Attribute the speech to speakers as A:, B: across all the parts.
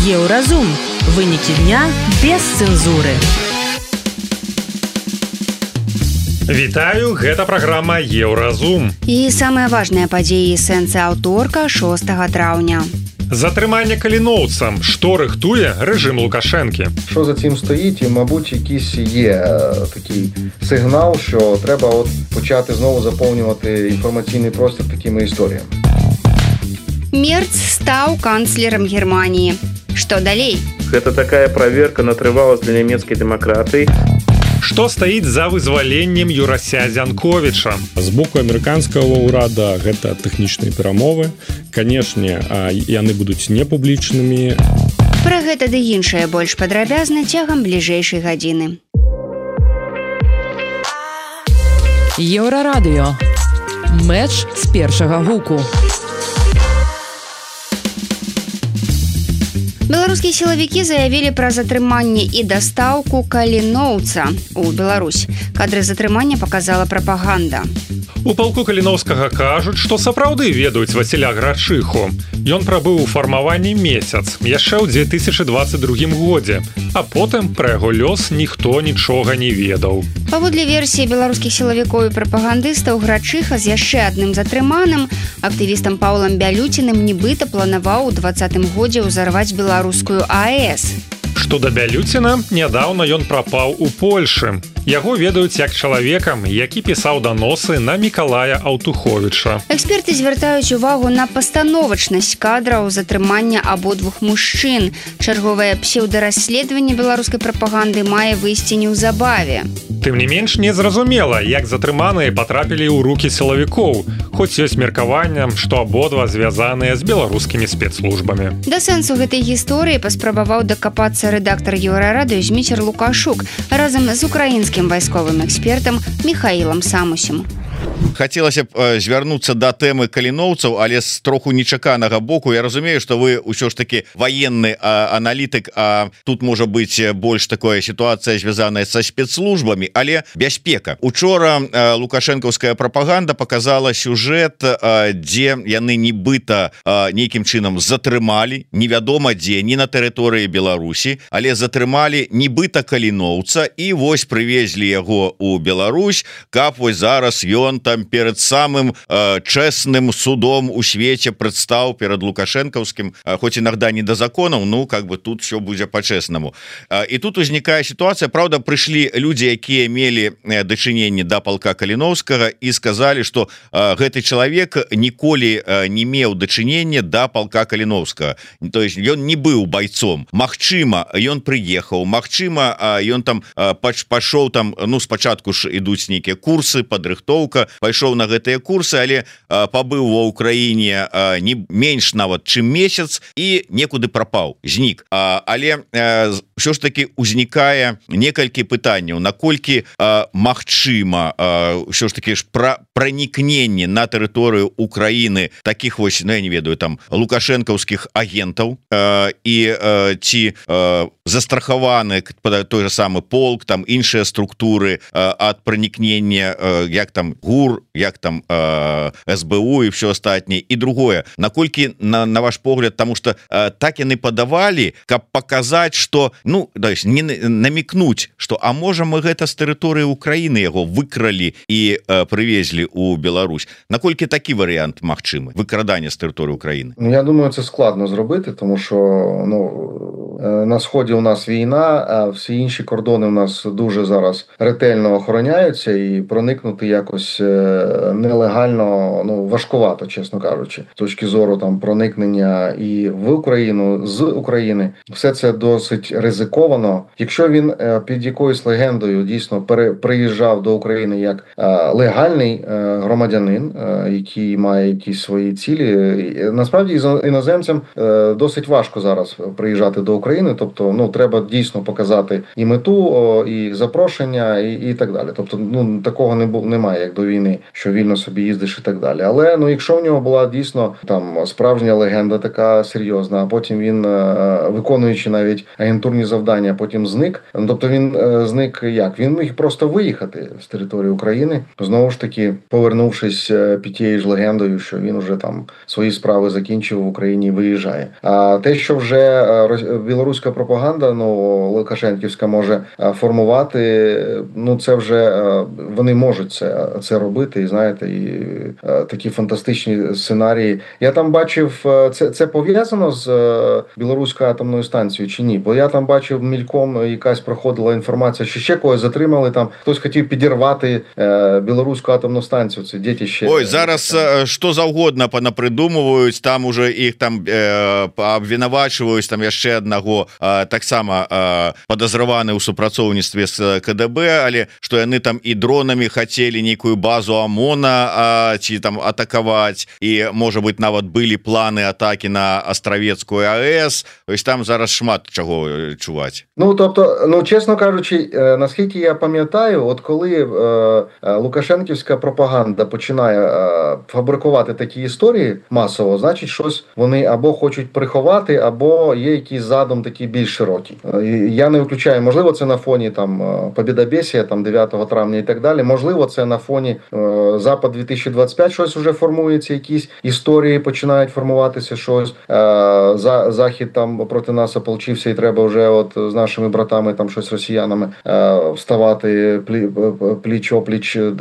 A: Еўразум. Вынікі дня без цэнзуры.
B: Вітаю, гэта праграма Еўразум.
C: І самыя важныя падзеі сэнсы аўторка 6 траўня.
B: Затрымання каліноўцам. Што рыхтуе рэжым Лукашэнкі?
D: Що за цим стоїть? І, мабуть, якийсь є такий сигнал, що треба почати знову заповнювати інформаційний простір такими історіями.
C: Мерц стаў канцлерам Германії. Што далей?
E: Гэта такая праверка на трываласць для нямецкай дэмакратыі.
B: Што стаіць за вызваленнем Юрася Зянковіча?
F: З боку амерыканскага ўрада гэта тэхнічныя перамовы. Канешне, яны будуць непублічнымі.
C: Пра гэта ды іншае больш падрабязна цягам бліжэйшай гадзіны.
A: Еўрарадыё. Мэч з першага гуку.
C: Беларускія сілавікі заявілі пра затрыманне і дастаўку каліноўца ў Беларусь. Кадры затрымання паказала прапаганда.
B: У палку Каліноўскага кажуць, што сапраўды ведаюць Васіля Грачыху. Ён прабыў у фармаванні месяц, яшчэ ў 2022 годзе, а потым пра яго лёс ніхто нічога не ведаў.
C: Паводле версіі беларускіх сілавікоў і прапагандыстаў, Грачыха з яшчэ адным затрыманым, актывістам Паўлам Бялюціним, нібыта планаваў у 2020 годзе ўзарваць беларускую АЭС.
B: Што да Бялюціна, нядаўна ён прапаў у Польшы. Яго ведаюць як чалавекам, які пісаў даносы на Мікалая Аўтуховіча.
C: Эксперты звяртаюць увагу на пастановачнасць кадраў затрымання абодвух мужчын. Чарговае псеўдарасследаванне беларускай прапаганды мае выйсці неўзабаве.
B: Тым не менш, незразумела, як затрыманыя патрапілі ў рукі сілавікоў, хоць ёсць меркаванне, што абодва звязаныя з беларускімі спецслужбамі.
C: Да сэнсу гэтай гісторыі паспрабаваў дакапацца рэдактар Еўрарадыё Зміцер Лукашук разам з украінскім вайсковым экспертам Міхаілам Самусем.
G: Хацелася б звярнуцца да тэмы каліноўцаў, але з троху нечаканага боку. Я разумею, што вы ўсё ж таки ваенны аналітык, а тут можа быць больш такая сітуацыя звязаная са спецслужбамі, але бяспека. Учора лукашэнкаўская прапаганда показала сюжэт, дзе яны нібыта нейкім чынам затрымалі, невядома дзе, не на тэрыторыі Беларусі, але затрымалі нібыта каліноўца і вось прывезлі яго ў Беларусь, каб вось зараз ён там перед самым честным судом у свете прадстаў перед лукашэнкаўскім, хоть иногда не до законов, ну как бы тут все будзе по-честному. И тут узнікае ситуация, правда, прыйшлі люди, якія мелі дачыненне да палка Каліноўскага и сказали, что гэты человек ніколі не меў дачынення да палка Каліноўскага, то есть ён не быў бойцом. Магчыма, ён прыехаў, магчыма, ён там пашоў там, ну спачатку ж ідуць нейкія курсы, падрыхтоўка, пайшоў на гэтыя курсы, але пабыў ва ўкраіне не менш нават чым месяц і некуды прапаў, знік. Але ўсё ж таки узнікае некалькі пытанняў, наколькі магчыма ўсё ж таки ж пранікненне на тэрыторыю Украіны таких вось, ну я не ведаю, там лукашэнкаўскіх агентаў і ці застрахаваны той же самы полк, там іншыя структуры ад пранікнення, як там ГУР, як там СБУ і все астатняе. І другое, наколькі на ваш погляд, тому что так яны падавалі, каб паказаць, что, ну, не намекнуть, что а можа мы гэта з тэрыторыі Украіны яго выкралі і прывезлі у Беларусь. Наколькі такі варыянт магчымы, выкрадання з тэрыторыі Украіны?
D: Я думаю, це складно зробити, тому що, ну, на сході у нас війна, а всі інші кордони у нас дуже зараз ретельно охороняються, і проникнути якось нелегально, ну, важкувато, чесно кажучи. З точки зору там проникнення і в Україну, з України. Все це досить ризиковано. Якщо він під якоюсь легендою дійсно приїжджав до України як легальний громадянин, який має якісь свої цілі, насправді іноземцям досить важко зараз приїжджати до України. України. Тобто, ну, треба дійсно показати і мету, і запрошення, і так далі. Тобто, ну, такого немає, як до війни, що вільно собі їздиш і так далі. Але, ну, якщо в нього була дійсно там справжня легенда така серйозна, а потім він, виконуючи навіть агентурні завдання, потім зник. Тобто він зник як? Він міг просто виїхати з території України, знову ж таки, повернувшись під тією ж легендою, що він вже там свої справи закінчив в Україні і виїжджає. А те, що вже білоруська пропаганда, ну, лукашенківська може формувати, ну, це вже вони можуть це робити, і знаєте, і такі фантастичні сценарії. Я там бачив, це пов'язано з білоруською атомною станцією чи ні? Бо я там бачив мільком, якась проходила інформація, що ще когось затримали, там хтось хотів підірвати білоруську атомну станцію. Це дітище.
G: Ой, зараз що завгодно понапридумываюць, там уже іх там абвінавачваюць, там яшчэ аднаго таксама падазраваны ў супрацоўніцтве з КДБ, але што яны там і дронамі хацелі нейкую базу ОМОНа ці там атакаваць, і можа быть нават былі планы атакі на Астравецкую АЭС. Ось там зараз шмат чаго чуваць.
D: Ну, тобто, ну, чесно кажучи, наскільки я пам'ятаю, от коли лукашенківська пропаганда починає фабрикувати такі історії масово, значить, щось вони або хочуть приховати, або є якийсь задум такий більш широкий. Я не виключаю, можливо, це на фоні там Побєдобєсія, там 9 травня і так далі, можливо, це на фоні Запад 2025 щось вже формується, якісь історії починають формуватися, щось. Захід там проти нас ополчився і треба вже от з нашими братами, там щось росіянами вставати пліч-опліч,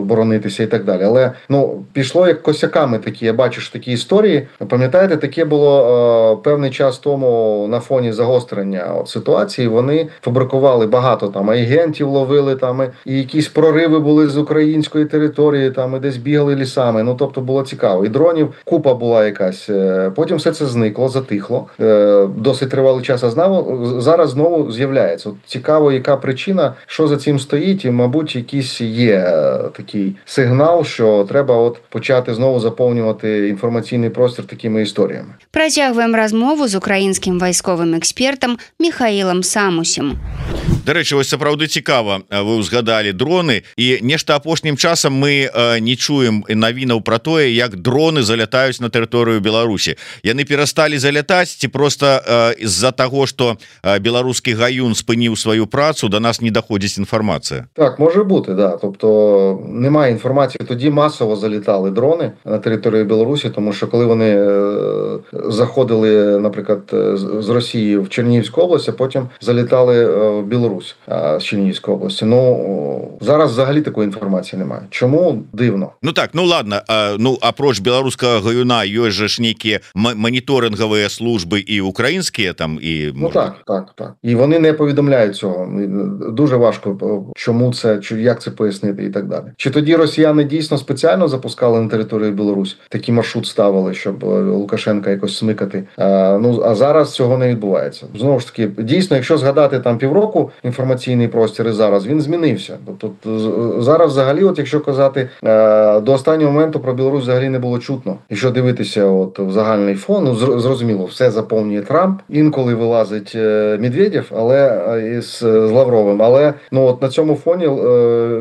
D: боронитися і так далі. Але, ну, пішло як косяками такі, я бачу, що такі історії. Пам'ятаєте, таке було певний час тому на фоні загострення ситуації, вони фабрикували багато там агентів, ловили там, і якісь прориви були з української території, там, і десь бігали лісами. Ну, тобто було цікаво. І дронів купа була якась. Потім все це зникло, затихло. Досить тривалий час, а зараз знову з'являється. От цікаво, яка причина, що за цим стоїть, і, мабуть, якийсь є такий сигнал, що треба от почати знову заповнювати інформаційний простір такими історіями.
C: Працягваем размову з українським військовим експертом Михаілом Самусем.
G: До речі, ось сапраўды цікава, вы узгадали дроны, і нешта апошнім часам мы не чуем навінаў про тое, як дроны залятаюць на тэрыторыю Беларусі. Яны перасталі залятаць, ці просто з-за таго, што беларускі гаюн спыніў сваю працу, до нас не доходить інформація?
D: Так, може бути, да. Тобто немає інформації. Тоді масово залітали дрони на територію Білорусі, тому що коли вони заходили, наприклад, з Росії в Чернігівську область, а потім залітали в Білорусь з Чернігівської області. Ну, зараз взагалі такої інформації немає. Чому? Дивно.
G: Ну так, ну ладно, ну апроч беларускага гаюна ёсць же ж нейкія моніторингові служби і українські там, і...
D: Ну так. І вони не повідомляють цього. Дуже важко, чому це, як це пояснити і так далі. Чи тоді росіяни дійсно спеціально запускали на територію Білорусі? Такий маршрут ставили, щоб Лукашенка якось смикати. Ну, а зараз цього не відбувається. Знову ж таки, дійсно, якщо згадати там півроку інформаційний простір і зараз, він змінився. Тобто зараз взагалі, от якщо казати, до останнього моменту про Білорусь взагалі не було чутно. Якщо дивитися от в загальний фон, ну, зрозуміло, все заповнює Трамп, інколи вилазить Медведєв, але з Лавровим, але ну от на цьому фоні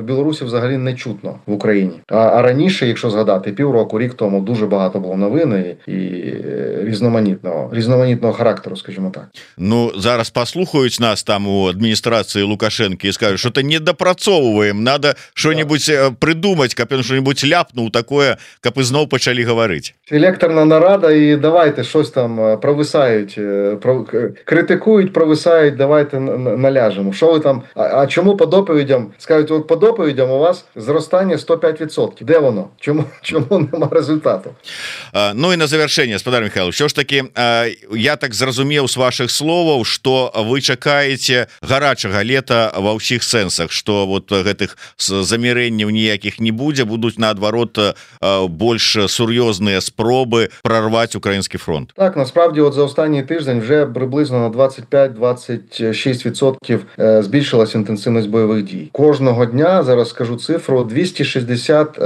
D: Білорусі взагалі не чутно в Україні. А раніше, якщо згадати, півроку, рік тому дуже багато було новин і різноманітного характеру, скажімо так.
G: Ну, зараз послухають нас там у адміністрації Лукашенка і скажуть, що то не допрацовуємо, надо що-небудь придумати, каб він що-небудь ляпнув такое, каб і знов почали говорити.
D: Селекторна нарада і давайте щось там провисають, критикують, провисають, давайте наляжемо. Що ви там, а чому по доповідям, скажуть, от по доповідям у вас зростання 105%. Де воно? Чому нема результату?
G: Ну і на завершення, Спадар Михайлович, що ж таки, я так зрозумів з ваших словів, що ви чекаєте гарячого гарячага лета ва ўсіх сэнсах, што вот гэтых замірэнняў ніякіх не будзе, будуць наадварот больш сур'ёзныя спробы прорваць украінскі фронт.
D: Так, насправді от за останній тиждень вже приблизно на 25-26% збільшилась інтенсивність бойових дій. Кожного дня, зараз скажу цифру, 260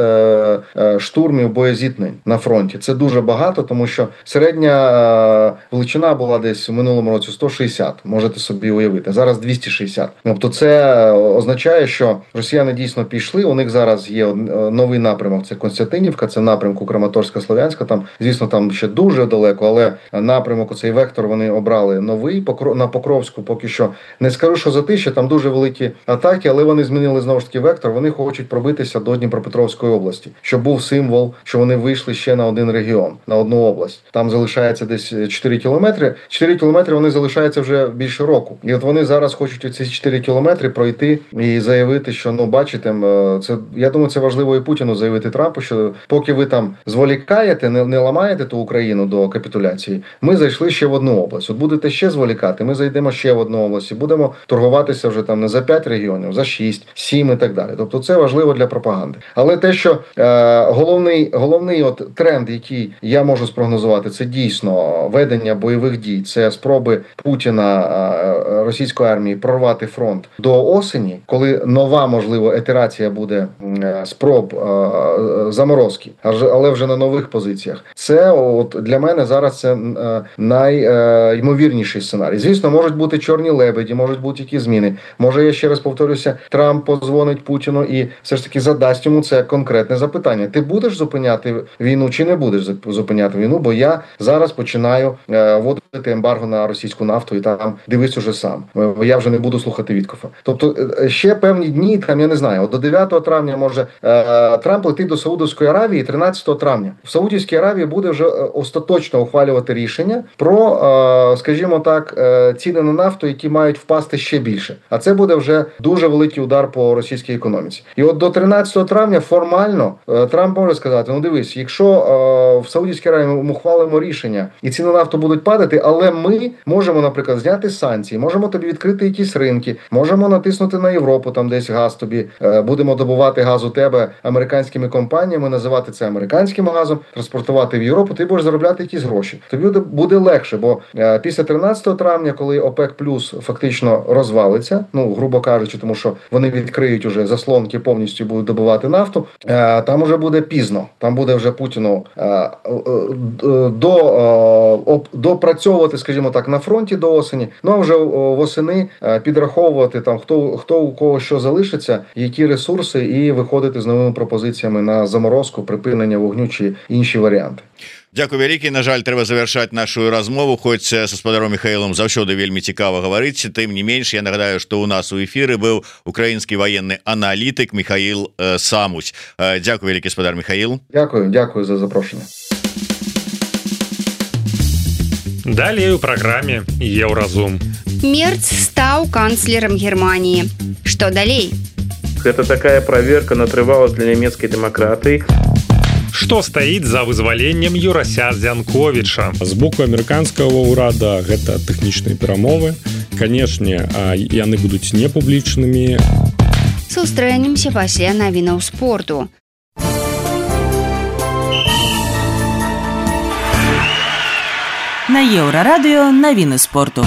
D: штурмів боєзіткнень на фронті. Це дуже багато, тому що середня величина була десь в минулому році 160, можете собі уявити. Зараз 260. Тобто це означає, що росіяни дійсно пішли, у них зараз є новий напрямок, це Константинівка, це напрямку Краматорська-Слов'янська, там, звісно, там ще дуже далеко, але напрямок, цей вектор вони обрали новий, на Покровську поки що. Не скажу, що Затишчя, там дуже великі атаки, але вони змінили знову ж таки вектор, вони хочуть пробитися до Дніпропетровської області, щоб був символ, що вони вийшли ще на один регіон, на одну область. Там залишається десь 4 кілометри. 4 кілометри вони залишаються вже більше року. І от вони зараз хочуть ці 4 кілометри пройти і заявити, що, ну, бачите, це, я думаю, це важливо і Путіну заявити Трампу, що поки ви там зволікаєте, не ламаєте ту Україну до капітуляції, ми зайшли ще в одну область. От будете ще зволікати, ми зайдемо ще в одну область і будемо торгуватися вже там не за 5 регіонів, за 6, 7 і так далі. Тобто це важливо для пропаганди. Але те, що головний от тренд, який я можу спрогнозувати, це дійсно ведення бойових дій, це спроби Путіна, російської армії прорвати фронт до осені, коли нова, можливо, ітерація буде спроб заморозки, але вже на нових позиціях. Це от для мене зараз це найймовірніший сценарій. Звісно, можуть бути чорні лебеді, можуть бути які зміни. Може, я ще раз повторюся, Трамп подзвонить Путіну і все ж таки задасть йому це конкретне запитання. Ти будеш зупиняти війну чи не будеш зупиняти війну? Бо я зараз починаю вводити ембарго на російську нафту і там дивись уже сам. Я вже не буду слухати Віткофа. Тобто ще певні дні, там я не знаю, от до 9 травня може Трамп летить до Саудовської Аравії 13 травня. В Саудівській Аравії буде вже остаточно ухвалювати рішення про, скажімо так, ціни на нафту, які мають впасти ще більше. А це буде вже дуже великий удар по російській економіці. І от до 13 травня формально Трамп може сказати, ну дивись, якщо в Саудівській Аравії ми ухвалимо рішення і ціни на нафту будуть падати, але ми можемо, наприклад, зняти санкції, можемо тобі відкрити якісь ринки, можемо натиснути на Європу, там десь газ тобі, будемо добувати газ у тебе американськими компаніями, називати це американським газом, транспортувати в Європу, ти будеш заробляти якісь гроші. Тобі буде легше, бо після 13 травня, коли ОПЕК плюс фактично розвалиться, ну, грубо кажучи, тому що вони відкриють уже заслонки, повністю будуть добувати нафту, там уже буде пізно. Там буде вже Путіну допрацьовувати, скажімо так, на фронті до осені, ну а вже восени підраховувати там, хто у кого що залишиться, які ресурси, і виходити з новими пропозиціями на заморозку, припинення вогню чи інші варіанти.
G: Дякую вялікі. На жаль, трэба завяршаць нашу размову, хоць са спадаром Михаілам заўсёды вельмі цікава гаварыць. Тым не менш, я нагадаю, што у нас у эфіры быў украінскі ваенны аналітык Михаіл Самусь. Дякую вялікі, спадар Михаіл.
D: Дякую за запрошенне.
B: Далей у праграме Еўразум.
C: Мерц стаў канцлерам Германії. Што далей?
E: Это такая проверка на трываласць для нямецкай дэмакратыі.
B: Што стаіць за вызваленнем Юрася Зянковіча?
F: З боку амерыканскага ўрада гэта тэхнічныя перамовы. Канешне, яны будуць непублічнымі.
C: Сустрэнемся пасля навінаў спорту.
A: На Еўрарадыё навіны спорту.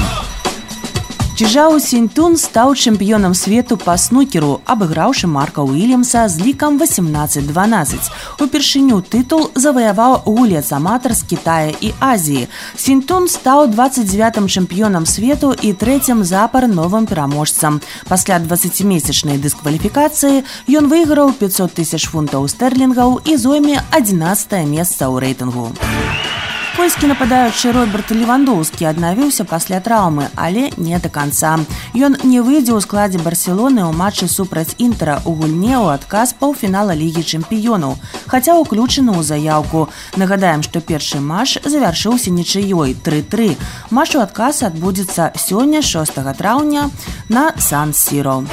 A: Чжао Сіньтун стаў чэмпіёнам свету па снукеру, абыграўшы Марка Уільямса з лікам 18-12. Упершыню тытул заваяваў гулец-аматар з Кітая і Азіі. Сіньтун стаў 29-м чэмпіёнам свету і 3-м запар новым пераможцам. Пасля 20-месячнай дыскваліфікацыі ён выйграў 500 000 фунтаў стэрлінгаў і зойме 11-е месца ў рэйтынгу. Польскі нападаючы Роберт Левандоўскі аднавіўся пасля траўмы, але не да канца. Ён не выйдзе ў складзе Барселоны ў матчы супраць Інтера ў гульне ў адказ паўфінала Лігі чэмпіёнаў, хаця ўключаны ў заяўку. Нагадаем, што першы матч завяршыўся нічыёй 3-3. Матч у адказ адбудзецца сёння, 6 траўня, на Сан-Сіро.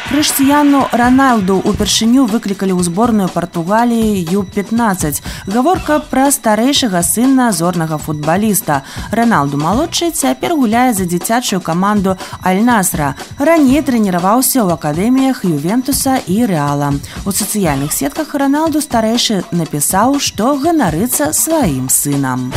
A: Крыштиану Роналду упершыню выклікалі ў зборную Партугаліі Ю-15. Гаворка пра старэйшага сына зорнага футбаліста. Роналду малодшы цяпер гуляе за дзіцячую каманду Аль-Насра. Раней трэніраваўся ў акадэміях Ювентуса і Рэала. У сацыяльных сетках Роналду старэйшы напісаў, што ганарыцца сваім сынам.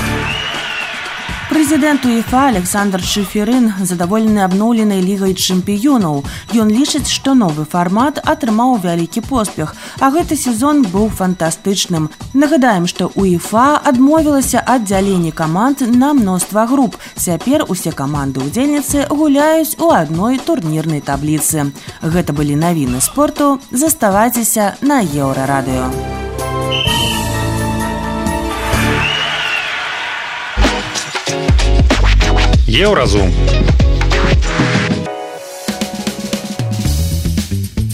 A: Прэзідэнт УЕФА Александр Чеферын задаволены абноўленай лігай чэмпіёнаў. Ён лічыць, што новы фармат атрымаў вялікі поспех, а гэты сезон быў фантастычным. Нагадаем, што УЕФА адмовілася ад дзялення каманд на мноства груп. Цяпер усе каманды-удзельніцы гуляюць у адной турнірнай табліцы. Гэта былі навіны спорту. Заставайцеся на Еўрарадыё.
B: Еўразум.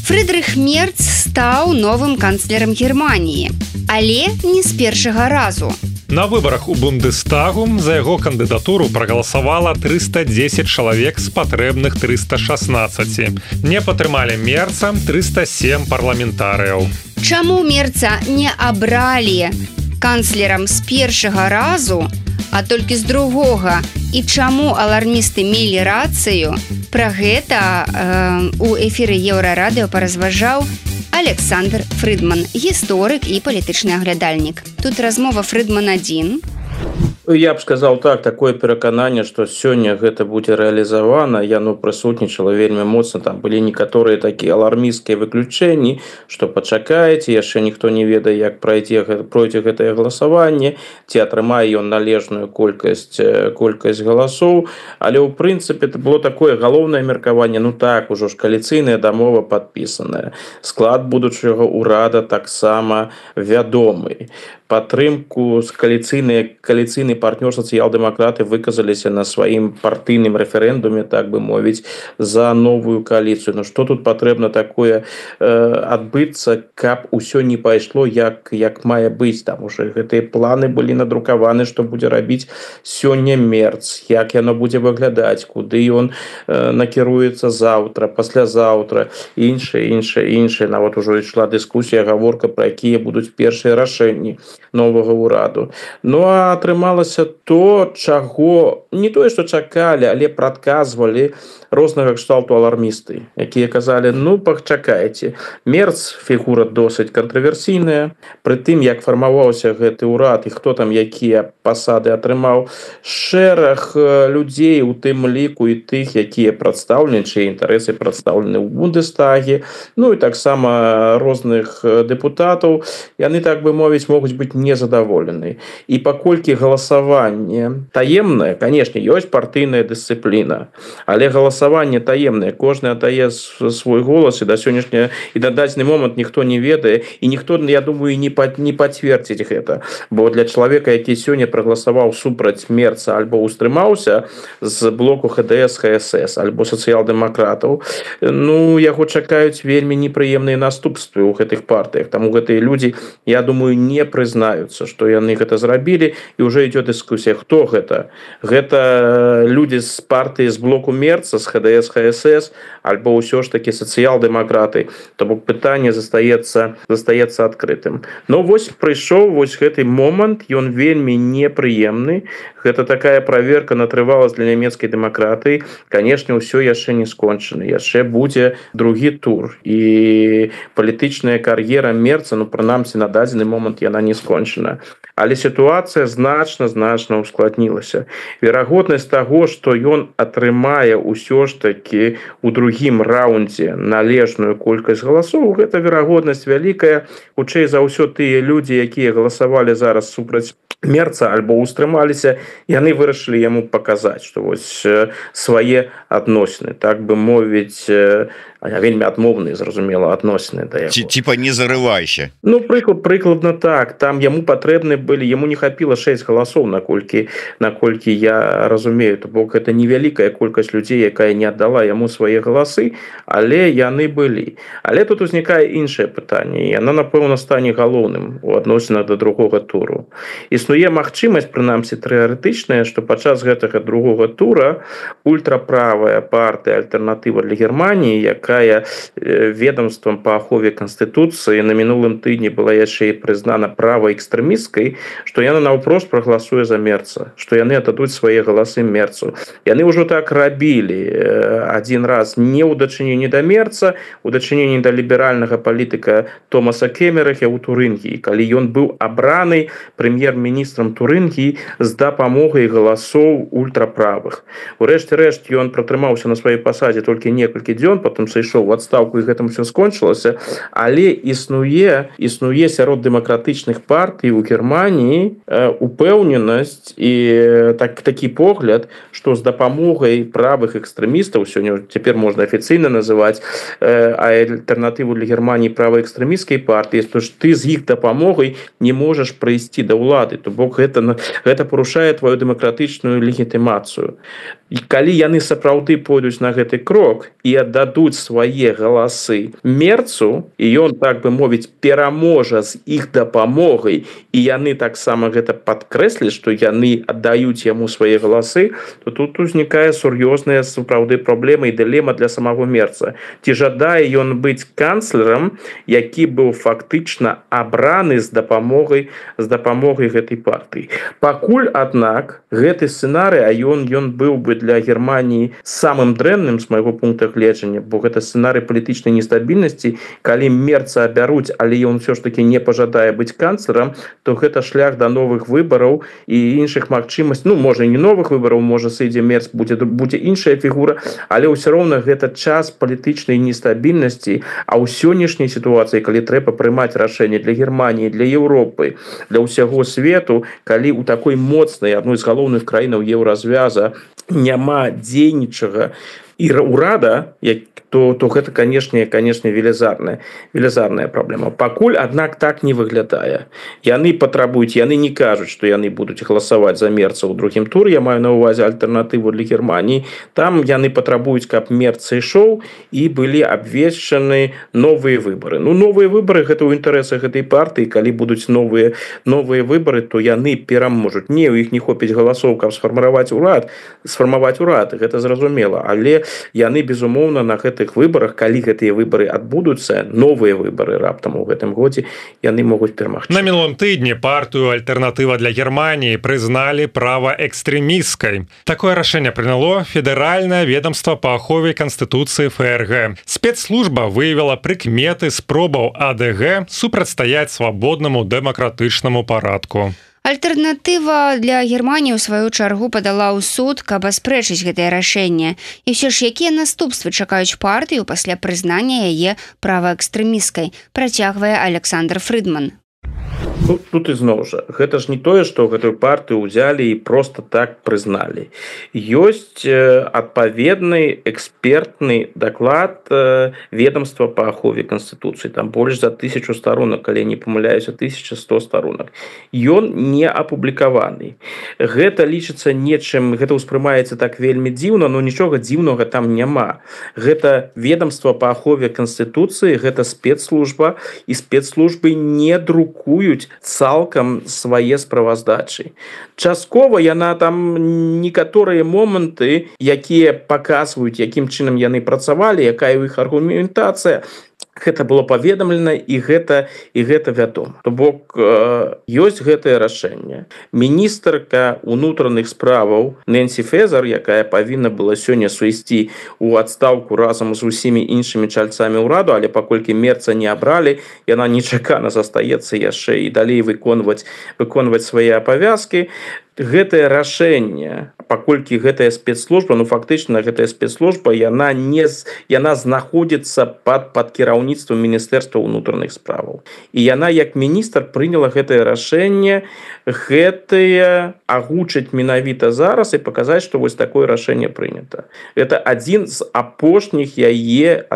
C: Фрыдрых Мерц стаў новым канцлерам Германіі, але не з першага разу.
B: На выбарах у Бундестагу за яго кандыдатуру прагаласавала 310 чалавек з патрэбных 316. Не падтрымалі Мерца 307 парламентарыяў.
C: Чаму Мерца не абралі канцлерам з першага разу, а толькі з другога? І чаму алармісты мелі рацыю? Пра гэта у эфіры Еўрарадыё паразважаў Александр Фрыдман, гісторык і палітычны аглядальнік. Тут размова Фрыдман-1.
E: Я б сказал так, такое перакананне, што сёння гэта будзе рэалізавана, яно прысутнічала вельмі моцна, там былі некаторыя такія алармісцкія выключэнні, што пачакаеце, яшчэ ніхто не ведае, як пройдзе гэтае галасаванне, ці атрымае ён належную колькасць галасоў, але ў прынцыпе это было такое галоўнае меркаванне, ну так, ужо ж кааліцыйная дамова падпісаная, склад будучага ўрада таксама вядомы. Падтрымку з кааліцыйны партнёр сацыял-дэмакраты выказаліся на сваім партыйным рэферэндуме, так бы мовіць, за новую кааліцыю. Ну што тут патрэбна такое адбыцца, каб усё не пайшло як мае быць? Там уже гэтыя планы былі надрукаваны, што будзе рабіць сёння Мерц, як яно будзе выглядаць, куды ён накіруецца заўтра, паслязаўтра, іншае. Нават ужо ішла дыскусія, гаворка пра якія будуць першыя рашэнні новага ўраду. Ну а атрымалася то, чаго не тое, што чакалі, але прадказвалі рознага кшталту алармісты, якія казалі, ну пачакайце. Мерц фігура досыць кантраверсійная, пры тым, як фармаваўся гэты ўрад і хто там якія пасады атрымаў, шэраг людзей, у тым ліку і тых, якія прадстаўлены, чые інтарэсы прадстаўлены ў Бундестаге, ну і таксама розных дэпутатаў, яны, так бы мовіць, могуць быць незадаволены. І паколькі галасаванне таемнае, канешне, ёсць партыйная дысцыпліна, але галасаванне таемнае, кожны аддае свой голас, і да сённяшняга і на дадзены момант ніхто не ведае, і ніхто, я думаю, не пацвердзіць гэта, бо для чалавека, які сёння прагаласаваў супраць Мерца альбо устрымаўся з блоку ХДС, ХСС альбо сацыял-дэмакратаў, ну яго чакаюць вельмі непрыемныя наступствы ў гэтых партыях. Таму гэтыя людзі, я думаю, не прызнаюцца, што яны гэта зрабілі, і ўжо ідзе дыскусія, хто гэта? Гэта людзі з партыі з блоку Мерца, з ХДС, ХСС, альбо ўсё ж такі сацыял-дэмакраты. То бок пытанне застаецца адкрытым. Но вось прыйшоў вось гэты момант, ён вельмі непрыемны. Гэта такая праверка на трываласць для нямецкай дэмакратыі. Канешне, ўсё яшчэ не скончана. Яшчэ будзе другі тур. І палітычная кар'ера Мерца, ну, прынамсі, на дадзены момант яна не скончана. Але сітуацыя значна ускладнілася. Верагоднасць таго, што ён атрымае ўсё ж такі ў другім раўндзе належную колькасць галасоў, гэта верагоднасць вялікая. Хутчэй за ўсё тыя людзі, якія галасавалі зараз супраць Мерца альбо устрымаліся, яны вырашылі яму паказаць, што вось свае адносіны, так бы мовіць, вельмі адмоўныя, зразумела, адносіны да яго.
G: Типа не зарывайся.
E: Ну, прыкладна так. Там яму патрэбны былі, яму не хапіла 6 галасоў, наколькі я разумею. То бок гэта невялікая колькасць людзей, якая не аддала яму свае галасы, але яны былі. Але тут узнікае іншае пытанне. Яна, напэўна, стане галоўным у адносінах да другога туру. Існуе магчымасць, прынамсі тэарэтычная, што падчас гэтага другога тура ультраправая партыя «Альтэрнатыва для Германіі», якая якая ведомствам по ахове Конституции на мінулым тыдні была яшчэ і прызнана праваэкстрэмісткай, што яна наўпрост прагаласуе за Мерца, што яны аддадуць свае галасы Мерцу. Яны ўжо так рабілі адзін раз не ў дачыненні да Мерца, у дачыненні да ліберальнага палітыка Томаса Кемерахя ў Турынгіі, калі ён быў абраны прэм'ер-міністрам Турынгіі з дапамогай галасоў ультраправых. Урэшце рэшт ён пратрымаўся на сваёй пасадзе толькі некалькі дзён, потым сышоў у адстаўку і гэтым все скончылася, але існуе сярод дэмакратычных партый у Германії упэўненасць і такі погляд, што з дапамогай правых экстрэмістаў, сёння цяпер можна афіцыйна называць альтэрнатыву для Германії праваэкстрэмісцкай партыі, што ж ты з іх дапамогай не можаш прыйсці да ўлады, то бок гэта парушае твою дэмакратычную легітымацыю. І калі яны сапраўды пойдуць на гэты крок і аддадуць свае галасы Мерцу, і ён, так бы мовіць, пераможа з іх дапамогай, і яны таксама гэта падкрэслі, што яны аддаюць яму свае галасы, то тут узнікае сур'ёзная сапраўды праблема і дылема для самого Мерца. Ці жадае ён быць канцлерам, які быў фактычна абраны з дапамогай гэтай партыі. Пакуль, аднак, гэты сцэнарый, а ён быў бы для Германії самым дрэнным з майго пункта гледжання, бо гэта сцэнарый палітычнай нестабільнасці, калі Мерца абяруць, але ён все ж таки не пажадае быць канцлерам, то гэта шлях да новых выбараў і іншых магчымасцей, можа не новых выбараў, можа сыдзе Мерц, будзе іншая фігура, але ўсё роўна гэта час палітычнай нестабільнасці, а ў сённяшняй сітуацыі, калі трэба прымаць рашэнне для Германії, для Еўропы, для ўсяго свету, калі ў такой моцнай, адной з галоўных краінаў еўразвяза няма дзейнічага і ўрада, то гэта, канешне, велізарная праблема. Пакуль, аднак, так не выглядае. Яны патрабуюць, яны не кажуць, што яны будуць галасаваць за Мерца ў другім туры, я маю на ўвазе альтэрнатыву для Германії. Там яны патрабуюць, каб Мерц ішоў і былі абвешчаны новыя выбары. Новыя выбары гэта ў інтарэсах гэтай партыі, калі будуць новыя выбары, то яны пераможуць. Не, у іх не хопіць галасоў, каб сфармаваць урад, гэта зразумела, але яны, безумоўна, на гэтых выбарах, калі гэтыя выбары адбудуцца, новыя выбары раптам у гэтым годзе, яны могуць перамагчы.
B: На мінулым тыдні партыю «Альтэрнатыва для Германії» прызналі праваэкстрэмісткай. Такое рашэнне прыняло Федэральнае ведомство па ахове Канстытуцыі ФРГ. Спецслужба выявіла прыкметы спробаў АДГ супрацьстаяць свабоднаму дэмакратычнаму парадку.
C: Альтэрнатыва для Германіі ў сваю чаргу падала ў суд, каб аспрэчыць гэтае рашэнне. І ўсё ж, якія наступствы чакаюць партыю пасля прызнання яе праваэкстрэмісткай, працягвае Александр Фрыдман.
E: Тут ізноў жа, гэта ж не тое, што гэтую партыю ўзялі і проста так прызналі. Ёсць адпаведны экспертны даклад ведомства па ахове Канстытуцыі. Там больш за 1000 старонак, калі не памыляюся, 1100 старонак. Ён не апублікаваны. Гэта лічыцца нечым, гэта ўспрымаецца так вельмі дзіўна, но нічога дзіўнага там няма. Гэта ведомства па ахове Канстытуцыі, гэта спецслужба, і спецслужбы не друкуюць цалкам свае справаздачы. Часткова яна там некаторыя моманты, якія паказваюць, якім чынам яны працавалі, якая ў іх аргументацыя, гэта было паведамлена і гэта вядома. То бок ёсць гэтае рашэнне. Міністрка ўнутраных справаў Нэнсі Фезер, якая павінна была сёння сысці ў адстаўку разам з усімі іншымі чальцамі ўраду, але паколькі Мерца не абралі, яна нечакана застаецца яшчэ і далей выконваць свае абавязкі. Гэтае рашэнне, паколькі гэтая спецслужба, фактычна гэтая спецслужба, яна знаходзіцца пад кіраўніцтвам Міністэрства ўнутраных справаў. І яна, як міністр, прыняла гэтае рашэнне, агучыць менавіта зараз і паказаць, што вось такое рашэнне прынята. Гэта адно з апошніх яе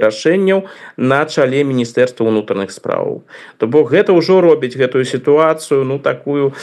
E: рашэнняў на чале Міністэрства ўнутраных справаў. То бок гэта ўжо робіць гэтую сітуацыю, такую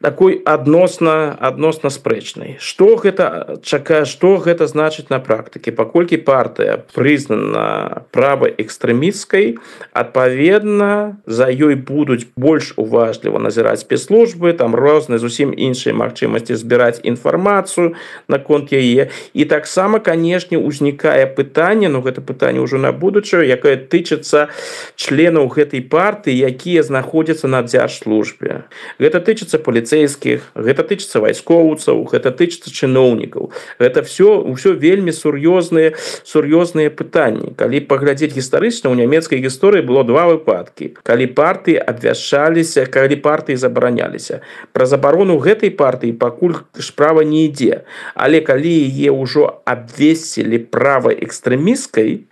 E: такой адносна спрэчнай. Што гэта значыць на практыке? Паколькі партыя прызнана праваэкстрэмісцкай, адпаведна за ёй будуць больш уважліва назіраць спецслужбы, там розныя зусім іншыя магчымасці збіраць інфармацыю наконт яе. І таксама, канешне, узнікае пытанне, гэта пытанне ўжо на будучае, якое тычыцца членаў гэтай партыі, якія знаходзяцца на дзяржслужбе. Гэта тычыцца паліцэйскіх, гэта тычыцца вайскоўцаў, гэта тычыцца чыноўнікаў. Гэта ўсё вельмі сур'ёзныя пытанні. Калі паглядзець гістарычна, у нямецкай гісторыі было два выпадкі. Калі партыі абвяшчаліся, калі партыі забараняліся. Пра забарону гэтай партыі пакуль справа не ідзе. Але калі яе ўжо абвесцілі праваэкстрэмісцкай,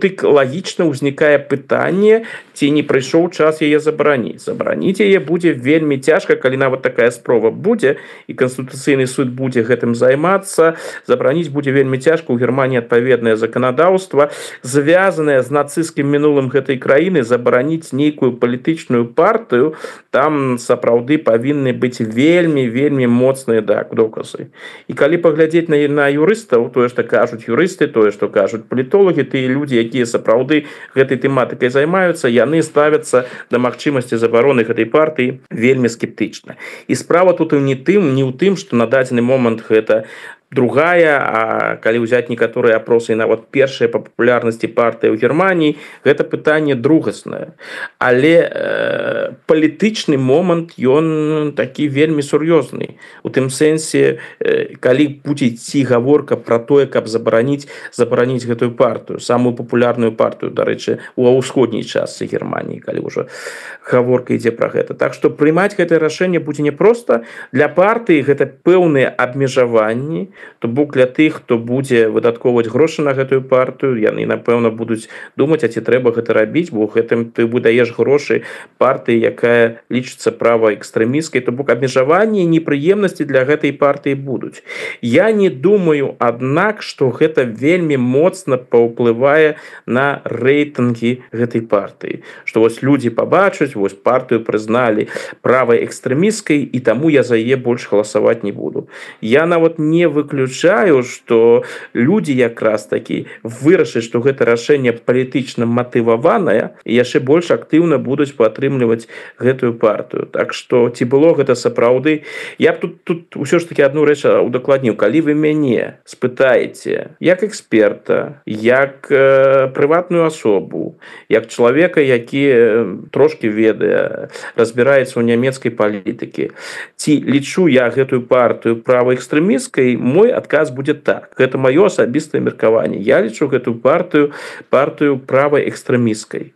E: дык лагічна ўзнікае пытанне, ці не прыйшоў час яе забараніць. Забараніць яе будзе вельмі цяжка, калі нават такая спроба будзе, і Канстытуцыйны суд будзе гэтым займацца. Забараніць будзе вельмі цяжка. У Германії адпаведнае заканадаўства, звязанае з нацысцкім мінулым гэтай краіны. Забараніць нейкую палітычную партыю, там сапраўды павінны быць вельмі моцныя доказы. І калі паглядзець на юрыстаў, тое, што кажуць юрысты, тое, што кажуць палітолагі, тыя людзі, якія сапраўды гэтай тэматыкай займаюцца, яны ставяцца да магчымасці забароны гэтай партыі вельмі скептычна. І справа тут не ў тым, што на дадзены момант гэта другая, а калі ўзяць некаторыя апросы, нават першая па папулярнасці партыя ў Германіі, гэта пытанне другаснае. Але палітычны момант, ён такі вельмі сур'ёзны. У тым сэнсе, калі будзе ці гаворка пра тое, каб забараніць гэтую партыю, самую папулярную партыю, дарэчы, у ўсходняй частцы Германіі, калі ўжо гаворка ідзе пра гэта. Так што прымаць гэтае рашэнне будзе непроста. Для партыі гэта пэўныя абмежаванні, то бок для тых, хто будзе выдаткоўваць грошы на гэтую партыю, яны, напэўна, будуць думаць, а ці трэба гэта рабіць, бо гэтым ты выдаеш грошы партыі, якая лічыцца праваэкстрэмісцкай, то бок абмежаванні і непрыемнасці для гэтай партыі будуць. Я не думаю, аднак, што гэта вельмі моцна паўплывае на рэйтынгі гэтай партыі. Што вось людзі пабачаць, вось партыю прызналі праваэкстрэмісцкай, і таму я за яе больш галасаваць не буду. Я нават не выключаю, што людзі якраз такі вырашаць, што гэта рашэнне палітычна матываванае, і яшчэ больш актыўна будуць падтрымліваць гэтую партыю. Так што ці было гэта сапраўды? Я б тут ўсё ж такі адну рэч удакладніў. Калі вы мяне спытаеце, як эксперта, як прыватную асобу, як чалавека, які трошкі ведае, разбіраецца ў нямецкай палітыкі, ці лічу я гэтую партыю праваэкстрэмісцкай, мой адказ будзе так. Гэта маё асабістае меркаванне. Я лічу гэтую партыю праваэкстрэмісцкай.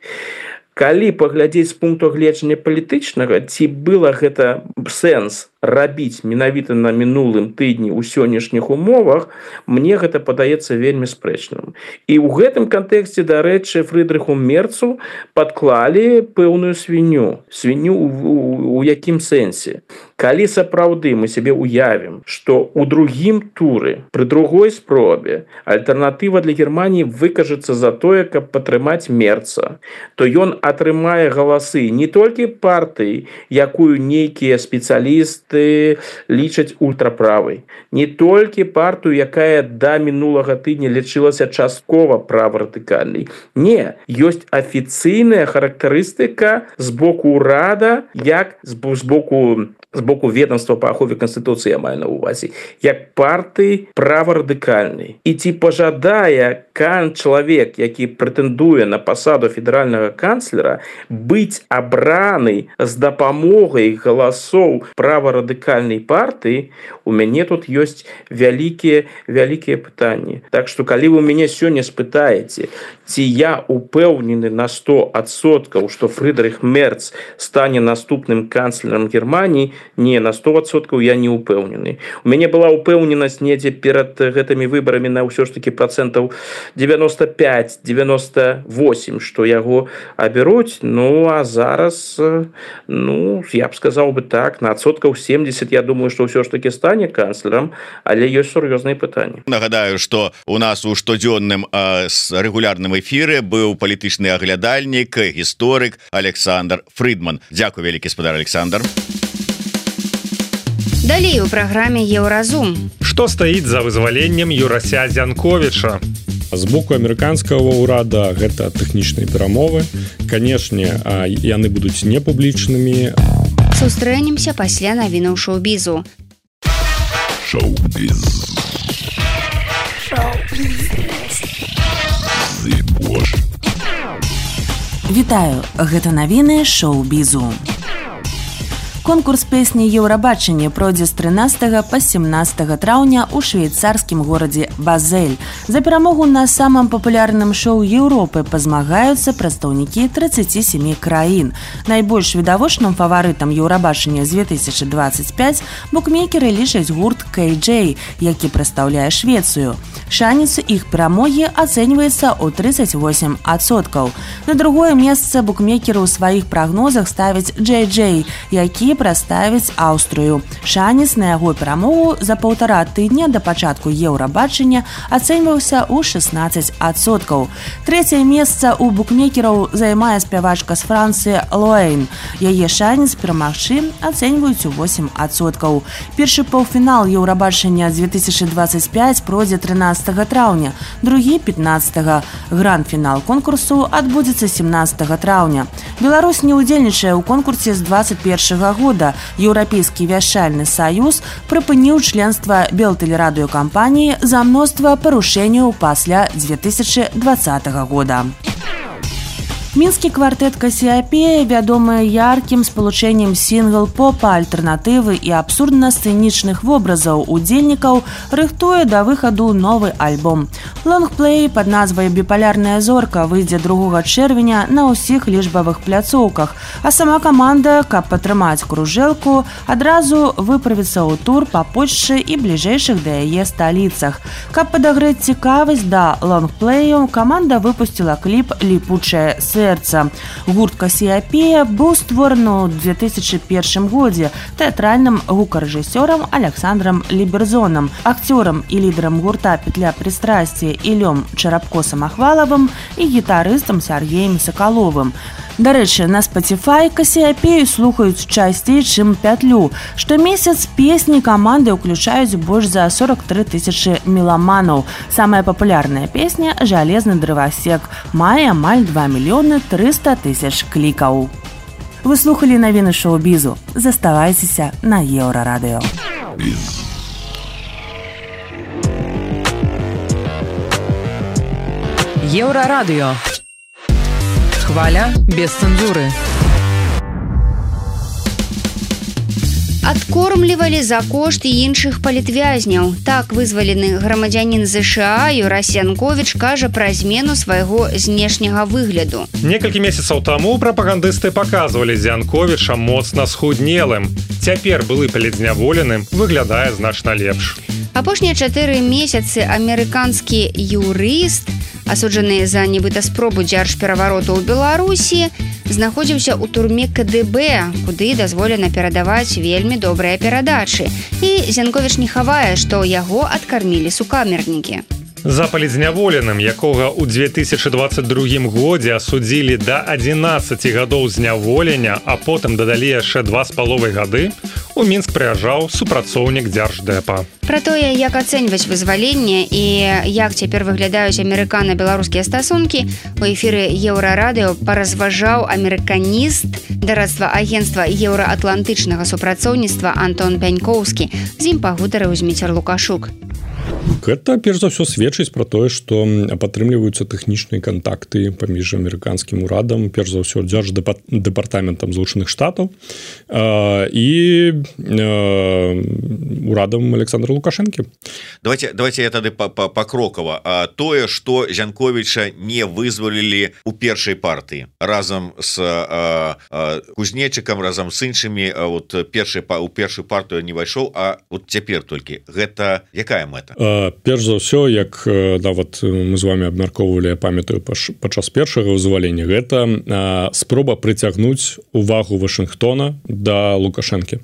E: Калі паглядзець з пункту гледжання палітычнага, ці было гэта сэнс рабіць менавіта на мінулым тыдні ў сённяшніх умовах, мне гэта падаецца вельмі спрэчным. І ў гэтым кантэксце, дарэчы, Фрыдрыху Мерцу падклалі пэўную свінню. Свінню у якім сэнсе? Калі сапраўды мы сябе уявім, што ў другім туры, пры другой спробе, альтэрнатыва для Германіі выкажацца за тое, каб падтрымаць Мерца, то ён атрымае галасы не толькі партыі, якую нейкія спецыялісты лічаць ультраправай, не толькі партыю, якая да мінулага тыдня лічылася часткова праворадыкальнай. Не, ёсць афіцыйная характарыстыка з боку ўрада, як з боку ведомства па ахове Канстытуцыі, я маю на ўвазе, як партыі праворадыкальнай. І ці пажадае чалавек, які прэтэндуе на пасаду федэральнага канцлера, быць абраны з дапамогай галасоў праворадыкальнай партыі, у мяне тут ёсць вялікія пытанні. Так што, калі вы мяне сёння спытаеце, ці я упэўнены на 100%, што Фрыдрых Мерц стане наступным канцлерам Германіі, не, на 100% я не упэўнены. У мяне была упэўненасць недзе перад гэтымі выбарамі на ўсё ж такі процентаў 95-98, што яго аберуць, а зараз, я б сказаў бы так, на 70%, я думаю, што ўсё ж такі стане канцлерам, але ёсць сур'ёзныя пытанні.
G: Нагадаю, што у нас у штодзённым рэгулярным эфіры быў палітычны аглядальнік, гісторык Александр Фрыдман. Дзякуй вялікі, спадар Александр.
C: Далей у праграме Еўразум.
B: Што стаіць за вызваленнем Юрася Зянковіча?
F: З боку амерыканскага ўрада гэта тэхнічныя перамовы. Канешне, яны будуць непублічнымі.
C: Сустрэнемся пасля навінаў шоу-бізу.
A: Вітаю, гэта навіны шоу-бізу. Конкурс песні «Еўрабачанне» пройдзе з 13 па 17 траўня ў швейцарскім горадзе Базель. За перамогу на самым папулярным шоу Еўропы пазмагаюцца прадстаўнікі 37 краін. Найбольш відавочным фаварытам «Еўрабачання» з 2025 букмекеры лічаць гурт KJ, які прадстаўляе Швецыю. Шанец іх перамогі ацэньваецца ў 38%. На другое месца букмекеры ў сваіх прагнозах ставяць JJ, які праставіць Аўстрыю. Шанец на яго перамогу за 1,5 тыдня да пачатку Еўрабачання ацэньваўся ў 16%. Трэцяе месца ў букмекераў займае спявачка з Францыі Луэйн. Яе шанец перамагчы ацэньваюць у 8%. Першы паўфінал Еўрабачання 2025 пройдзе 13 траўня, другі 15. Гранд-фінал конкурсу адбудзецца 17 траўня. Беларусь не ўдзельнічае ў конкурсе з 21 года. Еўрапейскі вяшчальны саюз прыпыніў членства белтэлерадыёкампаніі за мноства парушэнняў пасля 2020 года. Мінскі квартэт Касіапея, вядомы яркім спалучэннем сінгл-попа, альтэрнатывы і абсурдна-сцэнічных вобразаў удзельнікаў, рыхтуе да выхаду новы альбом. Лонгплей пад назвай «Біпалярная зорка» выйдзе 2 чэрвеня на ўсіх лічбавых пляцоўках, а сама каманда, каб падтрымаць кружэлку, адразу выправіцца ў тур па Польшчы і бліжэйшых да яе сталіцах. Каб падагрэць цікавасць да лонгплею, каманда выпусціла кліп «Ліпучае сердце». Гурт Касіапея быў створаны ў 2001 годзе тэатральным гукарэжысёрам Александром Ліберзонам, акцёрам і лідарам гурта «Петля пристрасці» Ілём Чарапко-Самахвалавым і гітарыстам Сергеем Сакаловым. Дарэчы, на Spotify Касіапею слухаюць часцей, чым Пятлю. Штомесяц песні каманды ўключаюць больш за 43 тысячы меламанаў. Самая папулярная песня «Жалезны дрывасек» мае амаль 2 мільёны 300 тысяч клікаў. Вы слухалі навіны шоу-бізу. Заставайцеся на Еўрарадыё.
H: Еўрарадыё. Хваля без цэнзуры.
C: Адкормлівалі за кошт іншых палітвязняў. Так вызвалены грамадзянін ЗША Юрась Зянковіч кажа пра змену свайго знешняга выгляду.
B: Некалькі месяцаў таму прапагандысты паказвалі Зянковіча моцна схуднелым. Цяпер былы палітзняволеным выглядае значна лепш.
C: Апошнія 4 месяцы амерыканскі юрыст, асуджаны за нібыта спробу дзяржперавароту ў Беларусі, знаходзіўся ў турме КДБ, куды дазволена перадаваць вельмі добрыя перадачы. І Зянковіч не хавае, што яго адкармілі сукамернікі.
B: За палітзняволеным, якога ў 2022 годзе асудзілі да 11 гадоў зняволення, а потым дадалі яшчэ 2,5 гады, у Мінск прыязджаў супрацоўнік Дзярждэпа.
C: Пра тое, як ацэньваць вызваленне і як цяпер выглядаюць амерыкана-беларускія стасункі, у эфіры Еўрарадыё паразважаў амерыканіст дарадства агенцтва еўраатлантычнага супрацоўніцтва Антон Пянькоўскі. З ім пагутарыў Зміцер Лукашук.
F: Гэта, перш за ўсё, сведчыць пра тое, што падтрымліваюцца тэхнічныя кантакты паміж амерыканскім урадам, перш за ўсё, дзярждэпартаментам Злучаных Штатаў і урадам Александра Лукашэнкі.
G: Давайте я тады пакрокава. Тое, што Зянковіча не вызвалілі ў першай партыі разам з Кузнечыкам, разам з іншымі, у першую партыю не ўвайшоў, а вот цяпер толькі. Гэта якая мэта?
F: перш за ўсё, як нават мы з вами абмяркоўвалі, я памятаю падчас першага вызвалення, гэта спроба прыцягнуць увагу Вашынгтона да Лукашэнкі.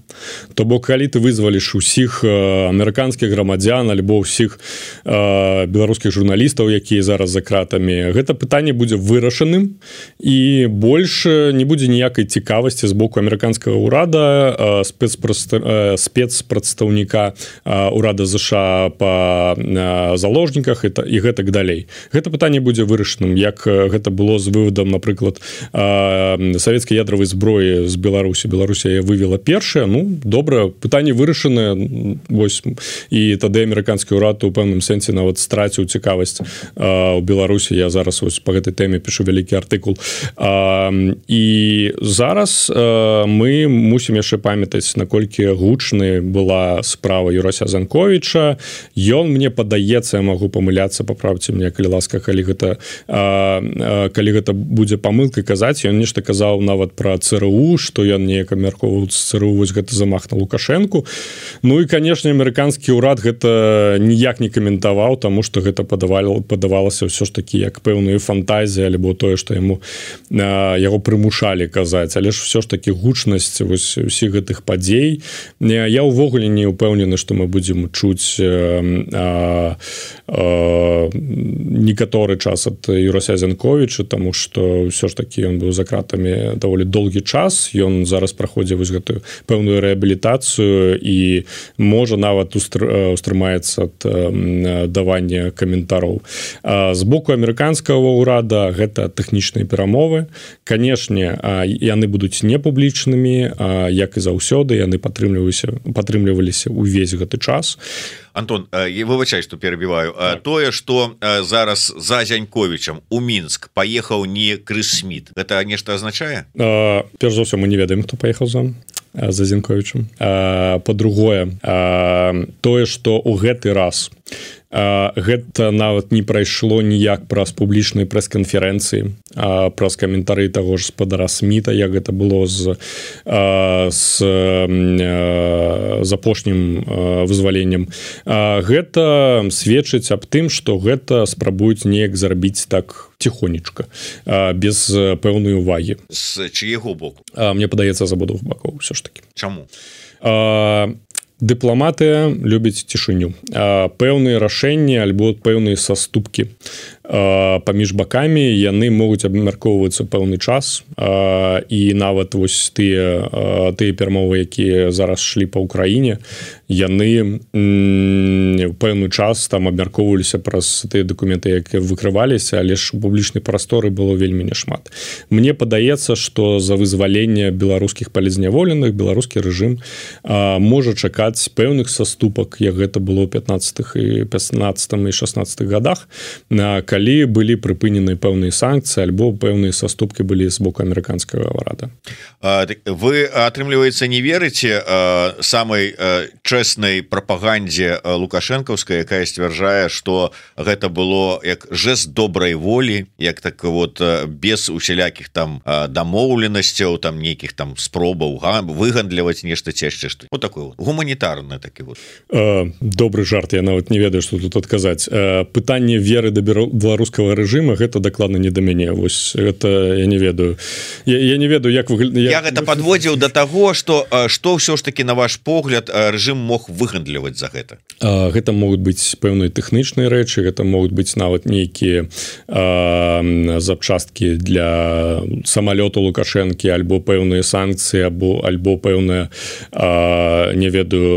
F: То бок, калі ты вызваліш усіх амерыканскіх грамадзян альбо ўсіх беларускіх журналістаў, якія зараз за кратамі, гэта пытанне будзе вырашаным і больш не будзе ніякай цікавасці з боку амерыканскага ўрада, спецпрадстаўніка ўрада ЗША па заложніках і гэтак далей. Гэта пытанне будзе вырашаным, як гэта было з выводам, напрыклад, савецкай ядравай зброі з Беларусі. Беларусія вывела першая, добра, пытанне вырашанае, вось, і тады амерыканскі ўрад у пэўным сэнсе нават страціў цікавасць у Беларусі. Я зараз вось па гэтай тэме пішу вялікі артыкул. І зараз мы мусім яшчэ памятаць, наколькі гучнай была справа Юрася Занковіча. Ён, мне падаецца, я магу памыляцца, паправце мне, калі ласка, калі гэта будзе памылкай казаць. Ён нешта казаў нават пра ЦРУ, што ён неяк абмяркоўваў ЦРУ, вось гэта замах на Лукашэнку. І, канешне, амерыканскі ўрад гэта ніяк не каментаваў, таму што гэта падавалася ўсё ж такі як пэўную фантазію, альбо тое, што яго прымушалі казаць. Але ж ўсё ж такі гучнасць вось усіх гэтых падзей. Я ўвогуле не ўпэўнены, што мы будзем чуць некаторы час ад Юрася Занковіча, таму што ўсё ж такі ён быў за кратамі даволі доўгі час. Ён зараз праходзіць вось гэтую пэўную рэабілітацыю і можа нават устрымаецца ад давання каментароў. З боку амерыканскага ўрада гэта тэхнічныя перамовы. Канешне, яны будуць непублічнымі, як і заўсёды, яны падтрымліваліся ўвесь гэты час.
G: Антон, я выбачаю, што перабіваю. Тое, што зараз за Зяньковічам у Мінск паехаў не Крыс Сміт, гэта нешта азначае?
F: Перш за ўсё, мы не ведаем, хто паехаў за Зяньковічам. Па-другое, тое, што ў гэты раз гэта нават не прайшло ніяк праз публічныя прэс-канферэнцыі, праз каментары таго ж спадара Сміта, як гэта было з апошнім вызваленнем. Гэта сведчыць аб тым, што гэта спрабуюць неяк зарабіць так ціхонечка, без пэўнай увагі.
G: З чыяго боку?
F: Мне падаецца, з абодвух бакоў ўсё ж такі.
G: Чаму?
F: Дыпламатыя любяць цішыню. Пэўныя рашэнні альбо пэўныя саступкі паміж бакамі, яны могуць абмяркоўвацца пэўны час, і нават вось тыя перамовы, якія зараз шлі па ўкраіне, яны ў пэўны час там абмяркоўваліся праз тыя дакументы, якія выкрываліся, але ж у публічнай прасторы было вельмі няшмат. Мне падаецца, што за вызваленне беларускіх палізняволеных беларускі рэжым можа чакаць пэўных саступак, як гэта было ў 15-х і 16 і 16 годах, калі былі прыпынены пэўныя санкцыі альбо пэўныя саступкі былі з боку амерыканскага ўрада.
G: Вы, атрымліваецца, не верыце самай чэснай прапагандзе лукашэнкаўскай, якая сцвярджае, што гэта было як жэст добрай волі, як так вот без усялякіх там дамоўленасцяў, там нейкіх там спробаў выгандліваць нешта ці яшчэ што. Вот такой вот гуманітарны такі вот.
F: Добры жарт, я нават не ведаю, што тут адказаць. Пытанне веры да беларускага рэжыма гэта дакладна не да мяне. Вось гэта я не ведаю. Я не ведаю, як
G: я гэта падводзіў да таго, што ўсё ж такі, на ваш погляд, рэжым мог выгандліваць за гэта.
F: Гэта могуць быць пэўныя тэхнічныя рэчы, гэта могуць быць нават нейкія запчасткі для самалёту Лукашэнкі, альбо пэўныя санкцыі, альбо пэўныя, не ведаю,